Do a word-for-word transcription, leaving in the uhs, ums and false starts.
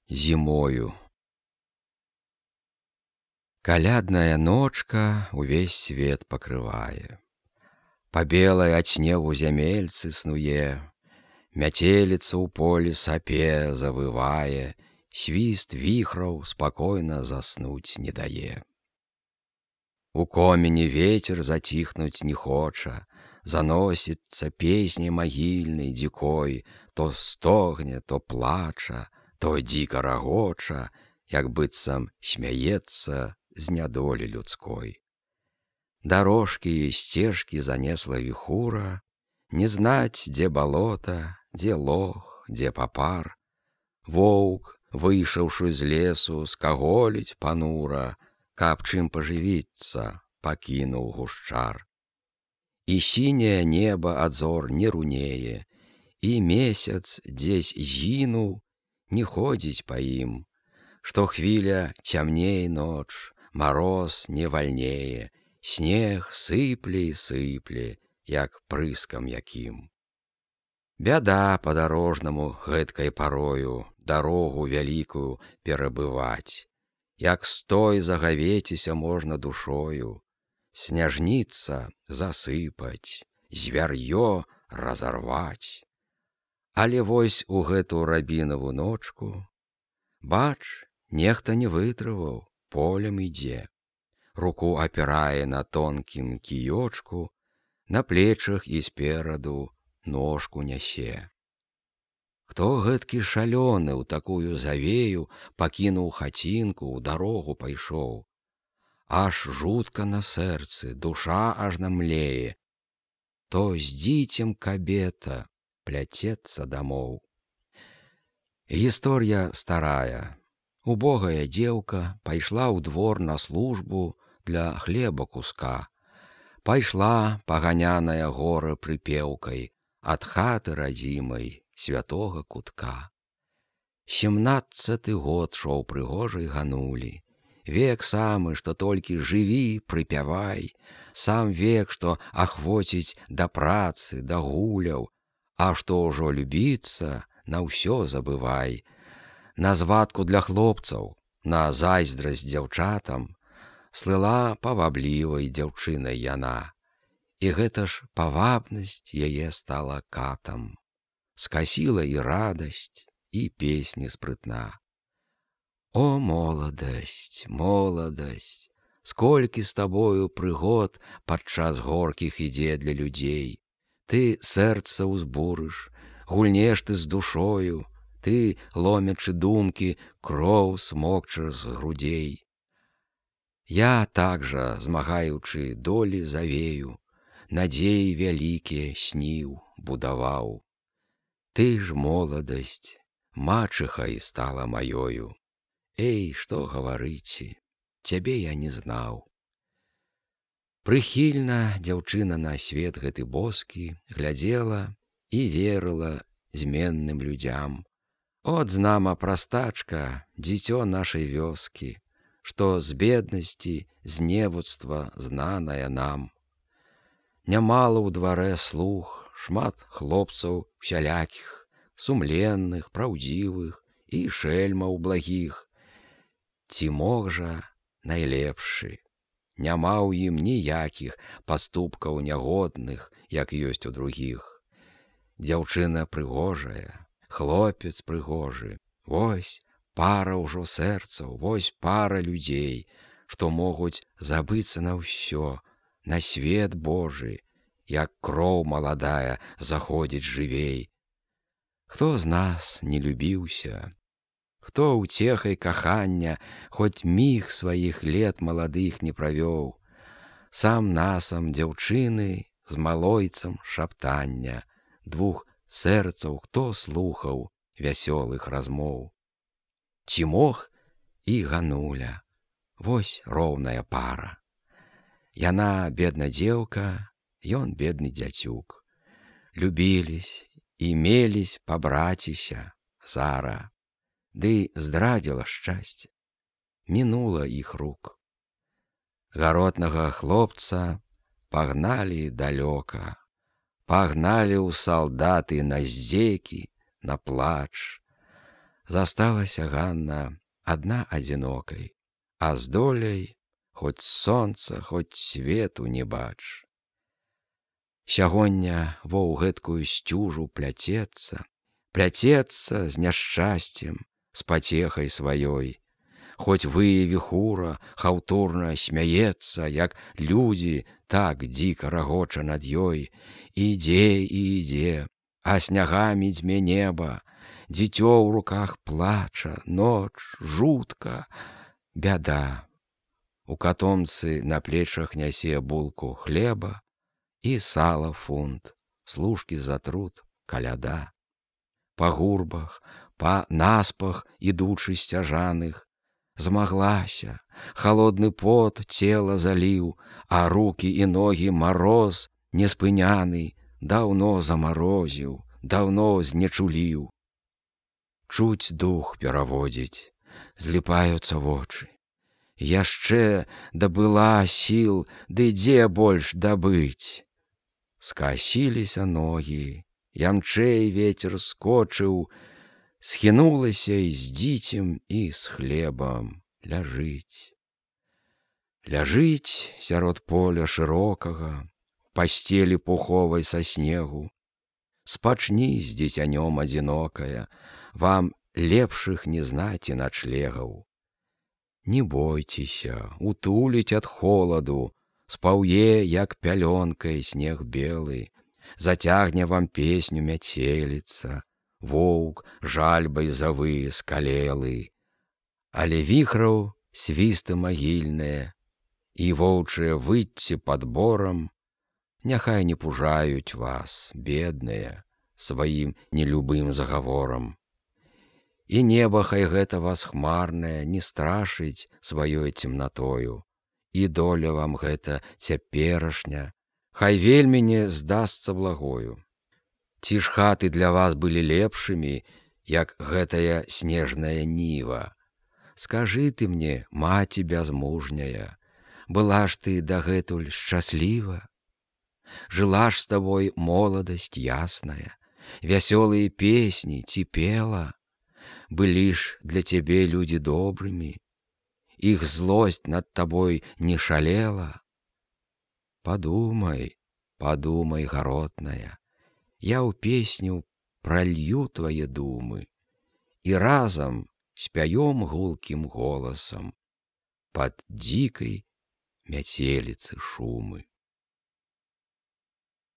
зімою. Калядная ночка увесь свет пакрывае. Па белай ад снегу зямельцы снуе, мяцеліца ў полі сапе завывае, свіст віхраў спакойна заснуць не дае. У комені вецер заціхнуць не хоча, заносіцца песняй магільнай дзікой, то стогне, то плача, то дзіка рагоча, як быццам смяецца з нядолі людской. Дарожкі і сцежкі занесла віхура, не знаць, дзе балота, дзе лог, дзе папар. Воўк, выйшаўшы з лесу, скаголіць панура, каб чым пажывіцца, пакінуў гушчар. І сіняе неба ад зор не рунее, і месяц дзесь згінуў, не ходзіць па ім. Штохвіля цямней ноч, мароз не вальнее, снег сыпле і сыпле, як прыскам якім. Бяда падарожнаму гэткай парою дарогу вялікую перабываць. Як стой загавеціся можна душою, сняжніца засыпаць, звяр'ё разарваць. Але вось у гэту рабінаву ночку, бач, нехта не вытрываў, полем ідзе. Руку апірае на тонкім кіёчку, на плечах і спераду ножку нясе. Хто гэткі шалёны ў такую завею пакінуў хацінку, ў дарогу пайшоў? Аж жутка на сэрцы, душа ажно млее. То з дзіцем кабета пляцецца дамоў. Гісторыя старая. Убогая дзеўка пайшла ў двор на службу для хлеба куска. Пайшла, паганяная гора прыпеўкай, ад хаты радзімай святога кутка. Семнаццаты год шоў прыгожай ганулі. Век самы, што толькі жыві, прыпявай, сам век, што ахвоціць да працы, да гуляў, а што ўжо любіцца, на ўсё забывай. На звадку для хлопцаў, на зайздрасць дзяўчатам, слыла паваблівай дзяўчынай яна. І гэта ж павабнасць яе стала катам. Скасіла і радасць, і песні спрытна. О, моладасць, моладасць, сколькі з табою прыгод падчас горкіх ідзе для людзей. Ты сэрца ўзбурыш, гульнеш ты з душою, ты, ломячы думкі, кроў смокчаш з грудзей. Я так жа, змагаючы долі завею, надзеі вялікія сніў, будаваў. Ты ж, моладасць, мачыхай стала маёю. Эй, што гаварыце, цябе я не знаў. Прыхільна дзяўчына на свет гэты боскі глядзела і верыла зменным людзям. От знама прастачка, дзіцё нашай вёскі, што з беднасці, з невуцтва знаная нам. Нямала ў дварэ слуг, шмат хлопцаў усялякіх, сумленных, праўдзівых і шэльмаў благіх. Ці мог жа найлепшы, няма ў ім ніякіх паступкаў нягодных, як ёсць у другіх. Дзяўчына прыгожая, хлопец прыгожы, вось пара ўжо сэрцаў, вось пара людзей, што могуць забыцца на ўсё, на свет Божы, як кроў маладая заходзіць жывей. Хто з нас не любіўся? Хто ўцехай кахання хоць міг сваіх лет маладых не правёў? Сам насам дзяўчыны з малойцам шаптання, двух сэрцаў хто слухаў вясёлых размоў. Ці мог і гануля, вось роўная пара. Яна бедна дзеўка, ён бедны дзяцюк. Любіліся і мелісь пабраціся зара. Ды здрадзіла шчасце, мінула іх рук. Гаротнага хлопца пагналі далёка, пагналі ў салдаты на здзекі, на плач. Засталася Ганна адна адзінокай, а з доляй хоць сонца, хоць свету не бач. Сягоння во ў гэткую сцюжу пляцецца, пляцецца з няшчасцем, з пацехай сваёй. Хоць вые віхура хаўтурна смяецца, як людзі, так дзіка рагоча над ёй. Ідзе і ідзе, а снягамі дзьме неба, дзіцё ў руках плача, ноч, жутка, бяда. У катомцы на плечах нясе булку хлеба і сала фунт, служкі за труд, каляда. Па гурбах, па наспах ідучы сцяжаных, змаглася, халодны пот цела заліў, а рукі і ногі мароз неспыняны даўно замарозіў, даўно знечуліў. Чуць дух пераводзіць, зліпаюцца вочы. Яшчэ дабыла сіл, ды дзе больш дабыць? Скасіліся ногі, ямчэй вецер скочыў, схінулася і з дзіцем, і з хлебам ляжыць. Ляжыць сярод поля шырокага, пасцелі пуховай са снегу. Спачні з дзіцянём адзінокая, вам лепшых не знаць і начлегаў. Не бойцеся, утуліць ад холаду, спаўе, як пялёнкай снег белы, зацягне вам песню мяцеліца, воўк жальбай завые скалелы. Але віхраў свісты магільныя і воўчыя выцці пад борам няхай не пужаюць вас, бедныя, сваім нелюбым загаворам. І неба хай гэта вас хмарнае не страшыць сваёй цемнатою, і доля вам гэта цяперашня хай вельмі не здасца благою. Ці ж хаты для вас былі лепшымі, як гэтая снежная ніва? Скажы ты мне, маці бязмужняя, была ж ты дагэтуль шчасліва? Жыла ж з табой моладасць ясная, вясёлыя песні ці пела? Былі ж для цябе людзі добрымі, іх злосць над табой не шалела? Падумай, падумай, гаротная, я ў песню пралью твае думы і разам спяём гулкім голасам пад дзікай мяцеліцы шумы.